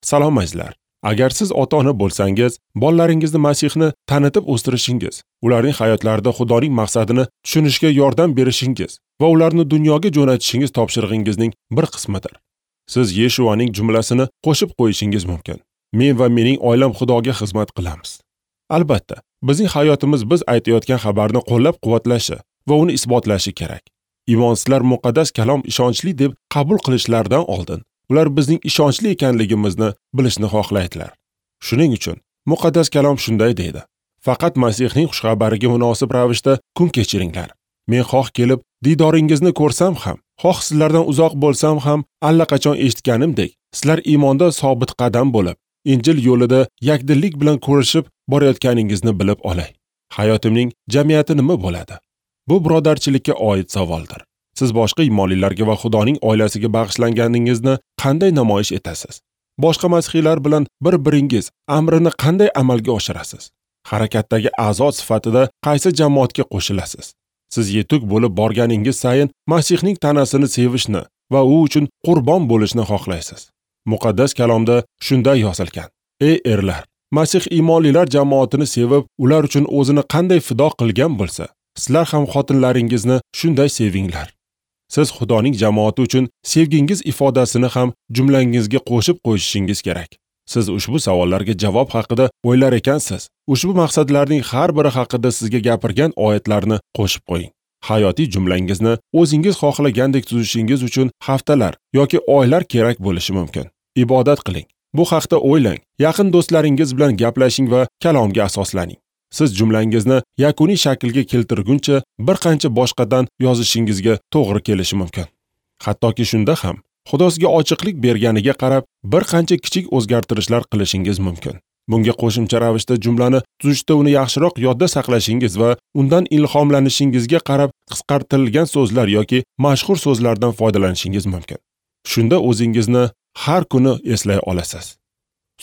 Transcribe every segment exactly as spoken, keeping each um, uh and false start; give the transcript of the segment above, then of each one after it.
Salom azizlar. Agar siz ota-ona bo'lsangiz, bolalaringizni Masihni tanitib o'stirishingiz, ularning hayotlarida Xudoning maqsadini tushunishga yordam berishingiz va ularni dunyoga jo'natishingiz topshirig'ingizning bir qismidir. Siz Yeshuaning jumlasini qo'shib qo'yishingiz mumkin. Men va mening oilam Xudoga xizmat qilamiz. Albatta, bizning hayotimiz biz aytayotgan xabarni qo'llab-quvvatlashi va uni isbotlashi kerak. Imonsizlar muqaddas kalom ishonchli deb qabul qilishlaridan oldin ular bizning ishonchli ekanligimizni bilishni xohlaydilar. Shuning uchun muqaddas kalom shunday deydi: Faqat Masihning xushxabariga munosib ravishda kun kechiringlar. Men xoh kelib diydoringizni ko'rsam ham, xoh sizlardan uzoq bo'lsam ham, allaqachon eshitganimdek, sizlar iymonda sobit qadam bo'lib, Injil yo'lida yakdillik bilan ko'rishib borayotganingizni bilib olay. Hayotimning jamiyati nima bo'ladi? Bu birodarchilikka oid savoldir. Siz boshqa iymonlilarga va Xudoning oilasiga bag'ishlanganingizni qanday namoyish etasiz? Boshqa masihiylar bilan bir-biringiz amrini qanday amalga oshirasiz? Harakatdagi a'zo sifatida qaysi jamoatga qo'shilasiz? Siz yetuk bo'lib borganingiz sayin Masihning tanasini sevishni va u uchun qurbon bo'lishni xohlaysiz. Muqaddas kalomda shunday yozilgan: Ey erlar, Masih iymonlilar jamoatini sevib, ular uchun o'zini qanday fido qilgan bo'lsa, sizlar ham xotinlaringizni shunday sevinglar. Siz Xudoning jamoati uchun sevgingiz ifodasini ham jumlangizga qo'shib qo'yishingiz kerak. Siz ushbu savollarga javob haqida o'ylar ekansiz, ushbu maqsadlarning har biri haqida sizga gapirgan oyatlarni qo'shib qo'ying. Hayotiy jumlangizni o'zingiz xohlagandek tuzishingiz uchun haftalar yoki oylar kerak bo'lishi mumkin. Ibodat qiling. Bu haqda o'ylang. Yaqin do'stlaringiz bilan gaplashing va kalomga asoslaning. Siz jumlangizni yakuniy shaklga keltirguncha bir qancha boshqadan yozishingizga to'g'ri kelishi mumkin. Hattoki shunda ham Xudo sizga ochiqlik berganiga qarab bir qancha kichik o'zgartirishlar qilishingiz mumkin. Bunga qo'shimcha ravishda jumlani tuzishda uni yaxshiroq yodda saqlashingiz va undan ilhomlanishingizga qarab qisqartirilgan so'zlar yoki mashhur so'zlardan foydalanishingiz mumkin. Shunda o'zingizni har kuni eslay olasiz.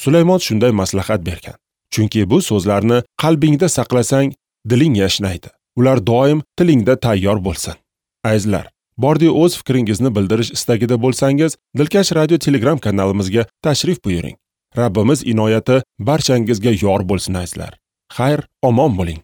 Sulaymon shunday maslahat bergan. Chunki bu so'zlarni qalbingda saqlasang, diling yashnaydi. Ular doim tilingda tayyor bo'lsin. Azizlar, bordi o'z fikringizni bildirish istagida bo'lsangiz, Dilkash Radio Telegram kanalimizga tashrif buyuring. Rabbimiz inoyati barchangizga yor bo'lsin azizlar. Xayr, omon bo'ling.